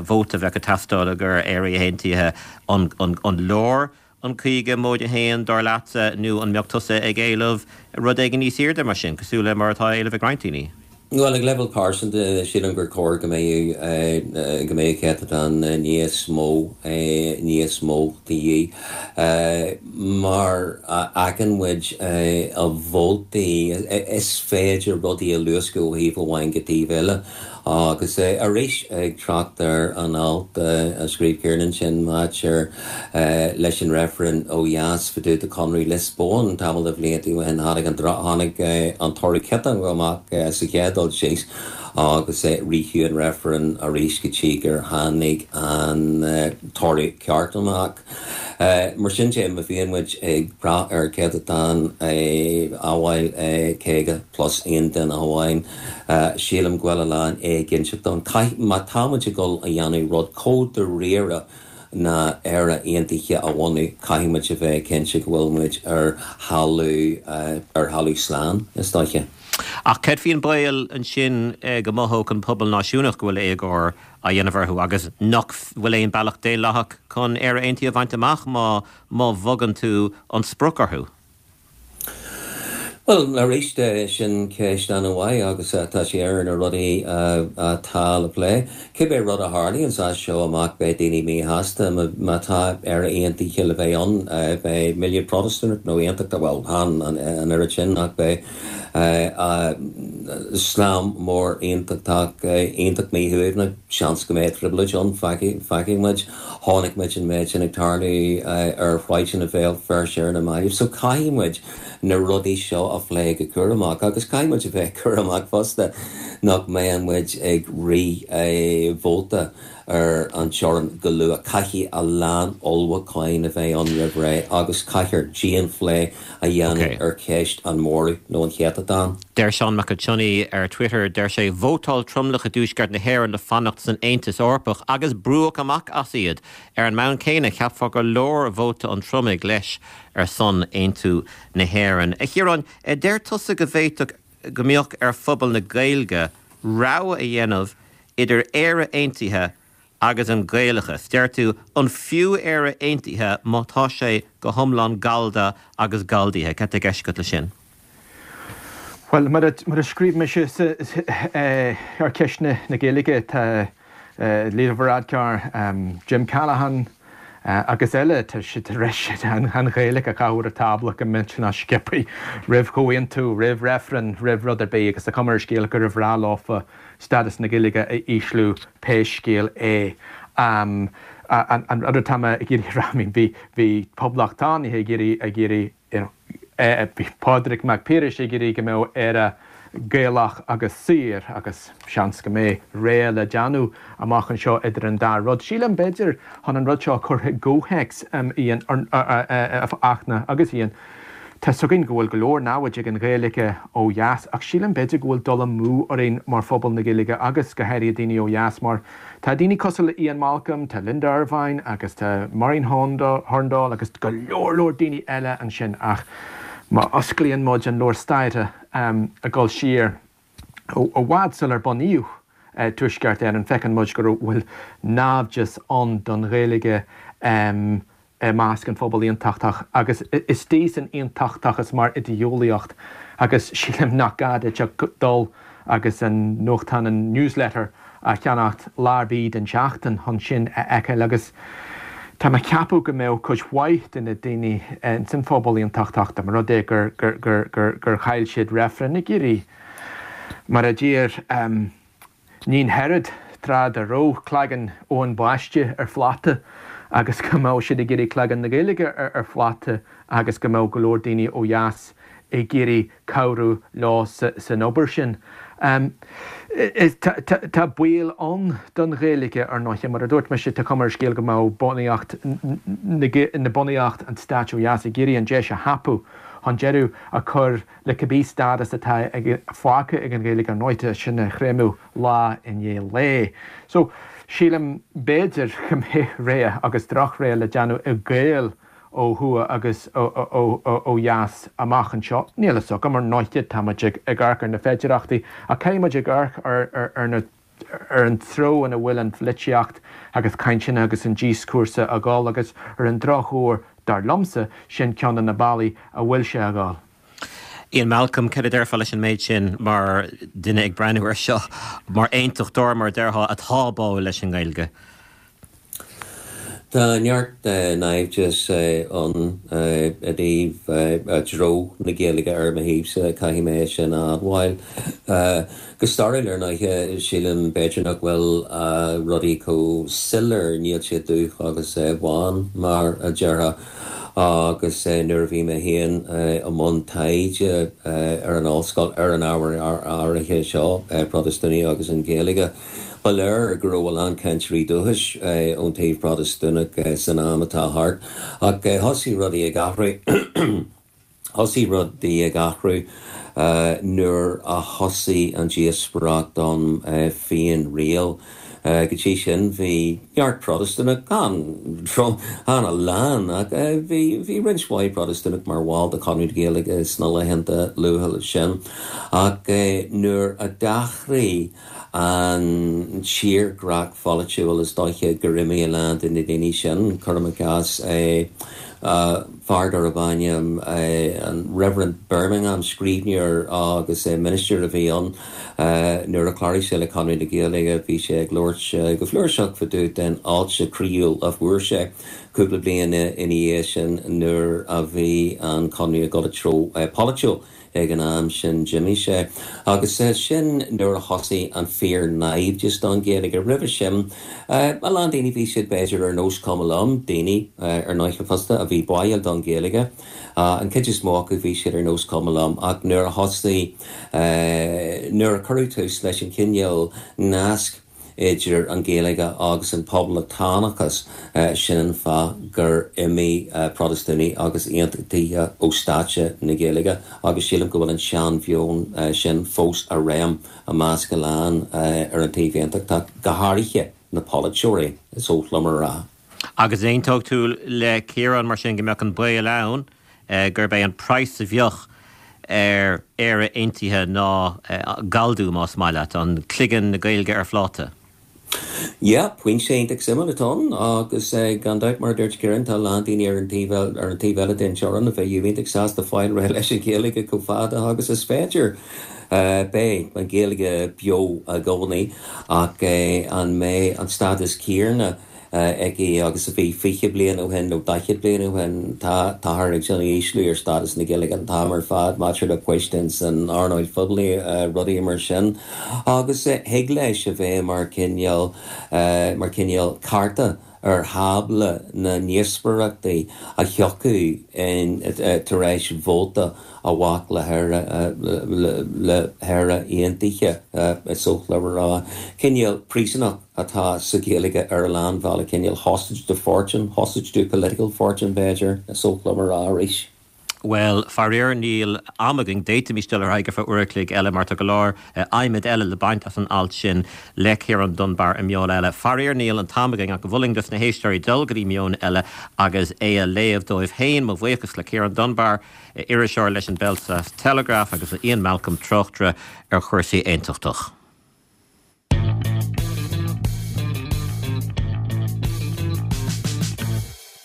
vóta a bheadh ag teastáil i gcomhair Éire Aontaithe an, an, an leor an caoga móide a haon dar leatsa nó an mbeadh tusa ag éileamh rud éigin níos airde mar sin, cosúil le mar atá á éileamh ag roinnt daoine? Well ag leibhéal pearsanta sílim gur chóir go mbeadh go mbeadh céatadán níos mó níos mó de dhíth mar a fheiceann muid a vótaí is féidir rudaí a luascadh ó thaobh amháin go taobh eile agus arís ag trácht ar an alt a scríobh Ciarán sin maidir leis an reifreann ó dheas fá dtaobh de Conradh Liospóin tamall de bhlianta ó shin tháinig an tháinig an toradh ciotach amach sa chéad dul síos agus ritheadh an reifreann arís go dtí gur tháinig an toradh ceart amach. Mar sin de má bhíonn muid ag brath ar céatadán amhail caoga plus aon duine amháin, sílim go bhfuil a lán éiginnteacht ann. Má tá muid ag dul a dhéanamh rud chomh dáiríre ná Éire Aontaithe a bhunú, caithfidh muid a bheith cinnte go bhfuil muid ar thalamh ar thalamh slán is dóiche. Ach cad faoin baol ansin go mothódh an pobal náisiúnach go bhfuil éagóir á dhéanamh orthu agus nach bhfuil aon bealach daonlathach chun Éire Aontaithe a bhaint amach má má bhogann tú an sprioc orthu. Bhuel, arís, sin ceist an-mhaith agus tá sé ar na rudaí atá le plé. Cibé rud a tharlaíonn as seo amach beidh daoine míshásta. Má tá Éire Aontaithe le bheith ann, beidh milliún Protastúnach nó Aontachtach, bhuel, chan an oiread sin ach beidh slám mór Aontachtach iontach míshuaimhneach. Seans go mbeidh trioblóid ann, feicfidh muid. Chonaic muid an méid sin ag tarlú ar shráideanna Bhéal Feirste ar na mallaibh. So caithfidh muid na rudaí seo a phlé go cúramach agus caithfidh muid a bheith cúramach fosta nach mbeidh muid ag rith vóta ar an teorainn go luath. Caithfidh a lán ullmhúcháin a bheith ann roimh ré agus caithfear dianphlé a dhéanamh ar cheist an mhóraimh nó an chéatadáin. Deir Seán Mac Cionnaith ar Twitter, deir sé, Vótáil tromlach i dTuaisceart na hÉireann le fanacht san Aontas Eorpach agus brúdh amach as iad. Ar an mbonn céanna, cheapfá gur leor vóta an tromlaigh leis ar son aontú na hÉireann. A Chiaráin, deir tusa go bhféadfadh go mbeadh ar phobal na Gaeilge rogha a dhéanamh idir Éire Aontaithe agus an Gaelachas. Deir tú, an fiú Éire Aontaithe má tá sé go hiomlán Gallda agus Galldaithe? Cad tá i gceist agat leis sin? Bhuel, mar a scríobh mise ar cheist na Gaeilge, tá Leo Varadkar, Jim Callaghan agus eile, tá siad tar éis an Ghaeilge a chaitheamh ar an tábla go millteanach sciobtha roimh chomhaontú, roimh reifreann, roimh rud ar bith agus tá cuma ar an scéal gur bhreá leofa stádas na Gaeilge a ísliú pé scéal é. An rud atá mé ag iarraidh a rá, I mean, bhí bhí poblachtánaithe ag iarraidh ag iarraidh you know, bhí Pádraig Mac Piarais ag iarraidh go mbeadh Éire Gaelach agus saor agus seans go mbeidh rogha le déanamh amach anseo idir an dá rud. Sílim b'fhéidir chun an rud seo a chur i gcomhthéacs Ian, a Fhachtna agus Ian, tá 's againn go bhfuil go leor namhaid ag an Ghaeilge ó dheas ach sílim b'fhéidir go bhfuil dul amú orainn mar phobal na Gaeilge agus go háirithe daoine ó dheas mar tá daoine cosúil le Ian Malcolm, tá Linda Ervine agus tá Maureen Hurndall agus go leor leor daoine eile ansin ach má osclaíonn muid an leabhar staire ag dul siar i bhfad sular bunaíodh Tuaisceart Éireann, feiceann muid go bhfuil naimhdeas ann don Ghaeilge i measc an phobail aontachtach agus istigh san aontachtachas mar idé-eolaíocht agus sílim nach gá duit ach dul agus an nuachtán, an Newsletter, a cheannacht lá ar bith den tseachtain chun sin a fheiceáil agus tá mé ag ceapadh go mbeadh cuid mhaith de na daoine ins an phobal aontachtach dá mba rud é gur gur gur gur chaill siad reifreann ag iarraidh mar a d'iarr Níon Herod tráth dá raibh cloigeann Eoin Baiste ar phláta agus go mbeadh siad ag iarraidh cloigeann na Gaeilge ar phláta agus go mbeadh go leor daoine ó dheas ag iarraidh cabhrú leo san obair sin. Tá baol ann don Ghaeilge, ar ndóighe. Mar a dúirt mise, tá cuma ar an scéal go mbeadh bunaíocht na bunaíocht an stáit ó dheas ag iarraidh an deis a thapú chun deireadh a chur le cibé stádas atá fágtha ag an Ghaeilge, ar ndóighe, sin a chreimeadh lá i ndiaidh lae. So, sílim, b'fhéidir go mbeidh rogha agus drochrogha le déanamh ag Gaeil ó thuaidh agus ó dheas amach anseo. Níl a fhios agam, ar ndóighe, tá muid ag amharc ar na féidearthachtaí ach caithfidh muid ag amharc ar na ar an treo ina bhfuil an pholaitíocht agus cainteanna agus an díoscúrsa ag dul agus ar an drochuair, dar liomsa, sin ceann de na bealaí a bhfuil sé ag dul. Ian Malcolm, cad a déarfá leis an méid sin mar duine ag breathnú air seo mar aontachtóir, mar a déarfá, atá báúil leis an nGaeilge? Tá neart naimhdeas ann i dtaobh treo na Gaeilge ar mo thaobhsa, caithfidh mé é sin a admháil. Go stairiúil, ar ndóighe, sílim b'fhéidir nach bhfuil rudaí chomh soiléir, níl siad dubh agus bán, mar a déarfá. Agus nuair a bhí mé féin i mbun taighde ar an ollscoil ar an ábhar áirithe seo, Protastúnaigh agus an Ghaeilge, Ba léir go raibh a lán cainteoirí dúchais ón taobh Protastúnach san am atá thart, ach thosaigh rudaí ag athrú thosaigh rudaí ag athrú nuair a thosaigh an díospóireacht don féin-riail. Go dtí sin bhí neart Protastúnach, chan a lán, ach bhí bhí roinnt mhaith Protastúnach mar bhall de Chonradh na Gaeilge sna laethanta luatha sin. Ach nuair a d'athraigh an tírdhreach pholaitiúil, is dóiche gur imigh a lán de na daoine sin, cuirim i gcás, Fear darb ainm an Reverend Birmingham, scríbhneoir agus ministir a bhí ann, nuair a chláraigh sé le Conradh na Gaeilge bhí sé ag labhairt go flúirseach fá dtaobh den fháilte chroíúil a fuair sé cúpla bliain ina dhiaidh sin nuair a bhí an Conradh ag dul i dtreo polaitiúil. Ag an am sin d'imigh sé agus sin nuair a thosaigh an fíor-naimhdeas don Ghaeilge. Roimhe sin, a lán daoine, bhí siad b'fhéidir ar nós cuma liom, daoine ar ndóighe fosta a bhí báúil don Ghaeilge. An chuid is mó acu bhí siad ar nós cuma liom ach nuair a thosaigh, nuair a cuireadh tús leis an chineál nasc idir an Ghaeilge agus an poblachtánachas, sin an fáth gur imigh Protastúnaigh agus Aontachtaithe ó stáitse na Gaeilge agus sílim go bhfuil an seanmheon sin fós i réim i measc a lán ar an taobh aontachtach, go háirithe na polaiteoirí, is oth liom a rá. Agus aontóidh tú le Ciarán mar sin go mbeadh an baol ann gurb é an praghas a bheadh ar Éire aontaithe ná galldú, más maith leat, an cloigeann na Gaeilge ar phláta? Yeah, pointe iontach suimiúil atá ann agus gan dabht mar a dúirt Ciarán tá a lán daoine ar an taobh ar an taobh eile den teorainn a bheadh iontach sásta fáil réidh leis an Ghaeilge chomh fada agus is féidir. Beidh an Ghaeilge beo i gcónaí ach an mbeidh an stádas céanna aici agus a bhí fiche bliain ó shin nó daichead bliain ó shin. Tá, táthar ag déanamh ísliú ar stádas na Gaeilge an t-am ar fad maidir le poist ins an earnáil phoiblí, rudaí mar sin. Agus thig leis a bheith mar chineál, mar chineál cárta ar thábla na ndíospóireachtaí a thiocfaidh in tar éis vóta a bheadh le hÉire, le hÉire aontaithe, is oth liom a rá. Cineál príosúnach atá sa Ghaeilge ar a lán bealaí, cineál hostage to fortune, hostage to political fortune b'fhéidir, is oth liom a rá arís. Bhuel, faraor níl am againn, d'fhéadfaimis dul ar aghaidh ar feadh uair a chloig eile mar tá go leor adhmaid eile le baint as an alt sin le Ciarán Dunbar i Meon Eile. Faraor níl an t-am againn ach mholfainn dos na héisteoirí dul go dtí Meon Eile agus é a léamh dóibh féin. Mo bhuíochas le Ciarán Dunbar, iriseoir leis an Belfast Telegraph agus le Ian Malcolm, tráchtaire ar chúrsaí aontachtach.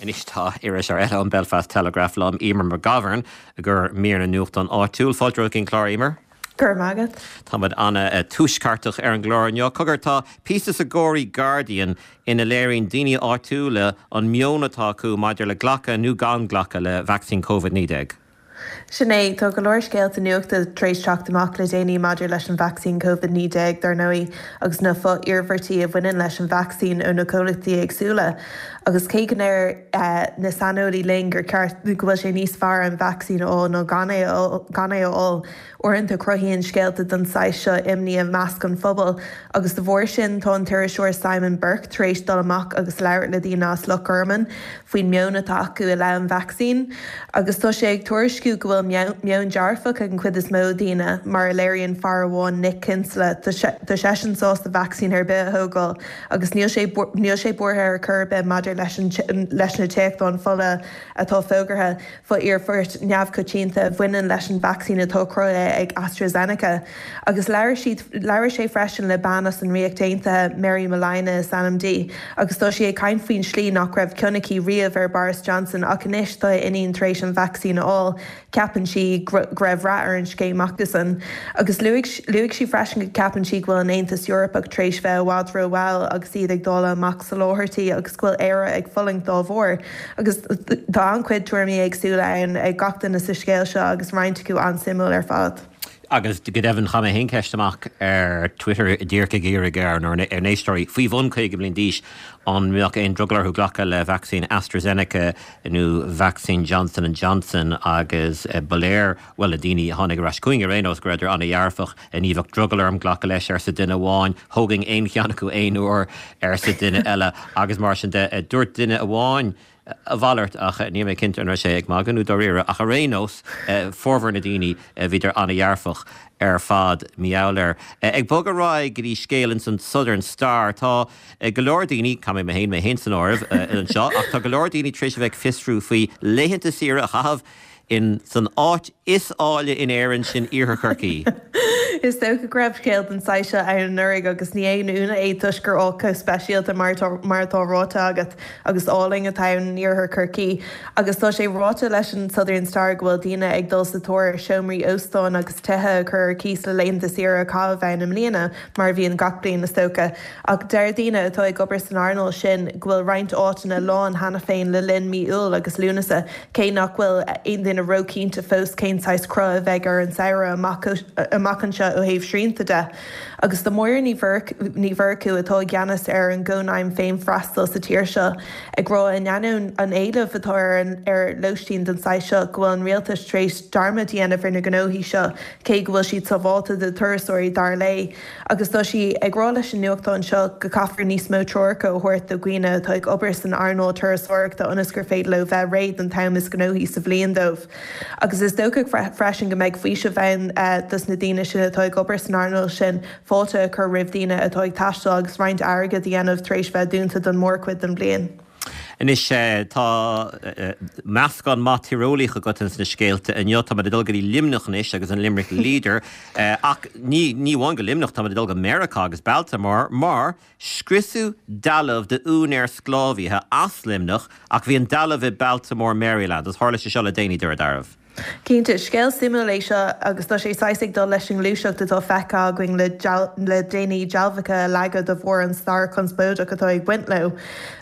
Anois tá iriseoir eile ón Belfast Telegraph liom, Eimear McGovern, i gcomhair mír na nuachtán áitiúil. Fáilte romhat chuig an clár, Eimear. Go raibh maith agat. Táimid an-tuaisceartach ar an gclár inniu. Cogar, tá píosa sa Gorey Guardian ina léiríonn daoine áitiúla an meon atá acu maidir le glacadh nó gan glacadh le vacsaín Covid naoi déag. Sin é, tá go leor scéalta nuachta tar éis teacht amach le déanaí maidir leis an vacsaín Covid naoi déag, dar ndóigh, agus na fo-iarmhairtí a bhaineann leis an vacsaín ó na comhlachtaí éagsúla. Agus cé go ndeir na saineolaí linn gur ceart, go bhfuil sé níos fearr an vacsaín a fháil ná gan é gan é a fháil, uaireanta cruthaíonn scéalta den saghas seo imní i measc an phobail. Agus de bharr sin, tá an t-iriseoir Simon Burke tar éis dul amach agus labhairt le daoine as Loch Garman faoin meon atá acu i leith an vacsaín. Agus tá sé ag tuairisciú go bhfuil meon dearfach ag an chuid is mó daoine, mar a léiríonn fear amháin, Nick Kinsella, tá seisean sásta vacsaín ar bith a thógáil agus níl sé níl sé buartha ar chor ar bith maidir leis an leis na téachtáin fola atá fógartha, fo-iarmhairt neamhchoitianta a bhaineann leis an vacsaín atá cruthaithe ag AstraZeneca. Agus labhair siad labhair sé freisin le bean as an Ríocht Aontaithe, Mary Molina is ainm di, agus tá sí ag caint faoin slí nach raibh cion aici riamh ar Boris Johnson ach anois tá a iníon tar éis an vacsaín a fháil, ceapann sí go raibh rath ar an scéim acusan. Agus luaigh luaigh sí freisin go gceapann sí go bhfuil an Aontas Eorpach tar éis bheith i bhfad rómhall agus iad ag dáileadh amach soláthairtí agus go bhfuil Éire ag fulaingt dá bharr. Agus tá an-chuid tuairimí éagsúla ann ag gach duine sa scéal seo agus roinnt acu an-suimiúil ar fad. Agus go deimhin chaith mé féin ceist amach ar Twitter díreach ag iarraidh ar ár n-éisteoirí faoi bhun caoga bliain d'aois an mbeadh aon drogall orthu glacadh le vacsaín AstraZeneca nó vacsaín Johnson and Johnson agus ba léir, bhuel, na daoine a tháinig ar ais chugainn ar aon nós, go rabhadar an-dhearfach. Ní bheadh drogall orm glacadh leis, arsa duine amháin. Thógfainn aon cheann acu aon uair, arsa duine eile agus mar sin de. Dúirt duine amháin a mhalairt ach níl mé cinnte an raibh sé ag magadh nó dáiríre ach ar aon nós, formhór na daoine, bhíodar an-dhearfach ar fad, mar gheall air. Ag bogadh ar aghaidh go dtí scéal ins an Southern Star, tá go leor daoine, caithfidh mé féin mé féin san áireamh anseo, ach tá go leor daoine tar éis a bheith ag fiosrú faoi laethanta saoire a chaitheamh in san áit is áille in Éirinn, sin Iarthar Chorcaí. Is dócha go raibh scéal den saghas seo ann anuraidh agus ní haon ionadh é toisc gur áit chomh speisialta mar mar atá ráite agat agus álainn atá ann in iarthar Chorcaí. Agus tá sé ráite leis an Southern Star go bhfuil daoine ag dul sa tóir ar seomraí óstáin agus tithe a chur ar cíos le laethanta saoire a chaitheamh ann i mbliana, mar a bhíonn gach bliain is dócha. Ach deir daoine atá ag obair san earnáil sin go bhfuil roinnt áiteanna lán cheana féin le linn mí Iúil agus Lúnasa, cé nach bhfuil aon duine róchinnte fós cén saghas cruth a bheidh ar an samhradh amach anseo ó thaobh srianta de. Agus tá Máire Ní Mhurchú, atá i gceannas ar an gCónaidhm Féinfhreastail sa tír seo, ag rá in ainneoin an éilimh atá ar lóistín den saghas seo go bhfuil an rialtas tar éis dearmad a dhéanamh ar na gnóthaí seo cé go bhfuil siad sábháilte do thurasóirí dar léi. Agus tá sí ag rá leis an nuachtán seo go gcaithfear níos mó treoracha a thabhairt do dhaoine atá ag obair san earnáil turasóireachta ionas gur féidir leo bheith réidh don t-am is gnóthaí sa bhliain dóibh. Agus is dócha freisin go mbeidh faoiseamh ann dos na daoine sin atá ag obair san earnáil sin fáilte a chur roimh daoine atá ag taisteal agus roinnt airgid a dhéanamh tar éis bheith dúnta don mhórchuid den bhliain. Anois, tá meascán maith tíreolaíoch agat ins na scéalta inniu. Táimid ag dul go dtí Luimneach anois agus an Limerick Leader. Ach ní ní amháin go Luimneach, táimid ag dul go Meiriceá agus Baltimore mar scriosadh dealbh d'úinéir sclábhaithe as Luimneach ach bhí an dealbh i Baltimore, Maryland. Agus tharla sé seo le déanaí, dúradh dearbh. Cinnte, scéal suimiúil é seo agus tá sé saghas ag dul leis an ngluaiseacht atá feicthe againn le le déanaí dealbhacha a leagadh de bharr an stair chonspóideach atá ag baint leo.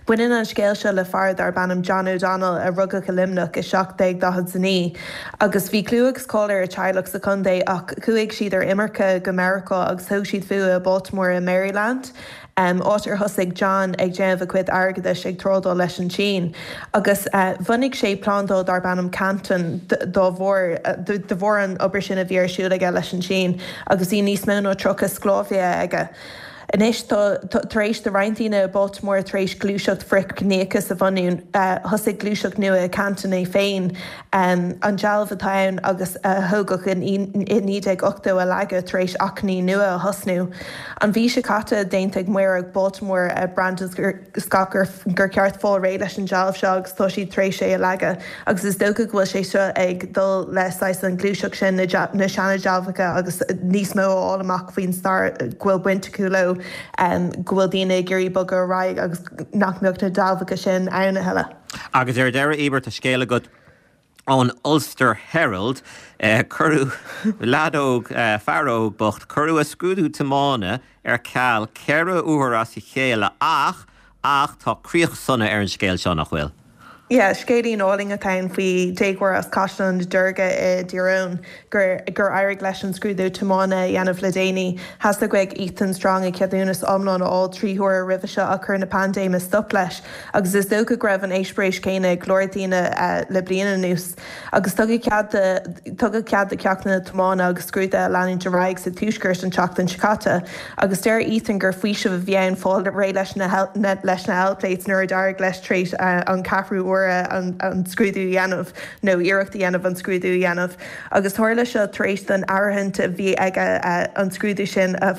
Baineann an scéal seo le fear darb ainm John O'Donnell a rugadh i Luimneach i seacht déag daichead a naoi agus bhí clú agus cáil ar a teaghlach sa chontae ach chuaigh siad ar imirce go Meiriceá agus thóg siad fúthu i Baltimore i Maryland. áit ar thosaigh John ag déanamh a chuid airgeadais ag trádáil leis an tSín, agus bhunaigh sé plandáil darb ainm Canton dá bharr, de bharr an obair sin a bhí ar siúl aige leis an tSín, agus bhí níos mó ná tríocha sclábhaithe aige. Anois tá, tar éis do roinnt daoine i Baltimore tar éis gluaiseacht frithchiníochais a bhunú, thosaigh gluaiseacht nua i Canton é féin, an dealbh atá ann agus a thógadh i naoi déag ochtó a leagadh tar éis achainí nua a thosnú. An mhí seo caite, d'aontaigh Maor Baltimore, Brandon Scott gur gur ceart fáil réidh leis an dealbh seo agus tá siad tar éis é a leagadh agus is dócha go bhfuil sé seo ag dul le saghas an ghluaiseacht sin na seana-dealbhacha agus níos mó a fháil amach faoin stair go bhfuil baint acu leo, go bhfuil daoine ag iarraidh bogadh ar aghaidh agus nach mbeadh na dealbhacha sin ann a thuilleadh. Agus ar deireadh, Emer, tá scéal agat ón Ulster Herald, cuireadh leaid óg, fear óg bocht, cuireadh a scrúdú tiomána ar ceal ceithre huaire as a chéile ach, ach tá críoch sona ar an scéal seo, nach bhfuil? Yeah, scéilín álainn atá ann faoi déagóir as Caisleán na Deirge i dTír Eoghain gur gur éirigh leis an scrúdú tiomána a dhéanamh le déanaí. Theastaigh uaidh Ethan Strong a cheadúnas iomlán a fháil trí huaire roimhe seo ach chuir na paindéime stop leis agus is dócha go raibh an eispéireas céanna ag go leor daoine le bliain anuas. Agus tugadh cead do tugadh cead do cheachtanna tiomána agus scrúduithe a leanúint ar aghaidh sa Tuaisceart an tseachtain seo caite. Agus deir Ethan gur faoiseamh a bhí ann fáil réidh leis na leis na L-plates nuair a d'éirigh leis tar éis an ceathrú uair an scrúdú a dhéanamh nó iarracht a dhéanamh an scrúdú a dhéanamh. Agus tharla seo tar éis don áirithint a bhí aige an scrúdú sin a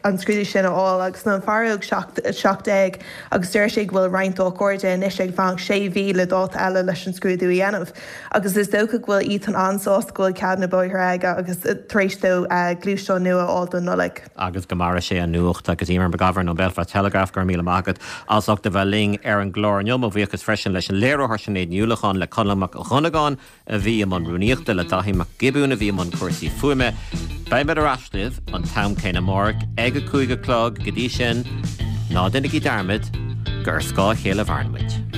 an scrúdú sin a fháil. Agus tá an fear óg seacht déag agus deir sé go bhfuil roinnt dá chairde anois ag fanacht sé mhí le dáta eile leis an scrúdú a dhéanamh. Agus is dócha go bhfuil Ethan an-sásta go bhfuil cead na bóithre aige agus tar éis dó gluaisteán nua a fháil don Nollaig. Agus go maire sé an nuacht. Agus Emer McGovern ón Belfast Telegraph, go raibh míle maith agat as ucht a bheith linn ar an gclár inniu. Mo bhuíochas freisin leis an léiritheoir Sinéad Ní Uallacháin, le Conall Mac Dhonnagáin a bhí i mbun rúnaíochta, le Daithí Mac Giobúin a bhí i mbun cúrsaí fuaime. Beimid ar ais libh an t-am céanna amárach ag a cúig a chlog. Go dtí sin, ná déanaigí dearmad gur ar scáth a chéile a mhaireann muid.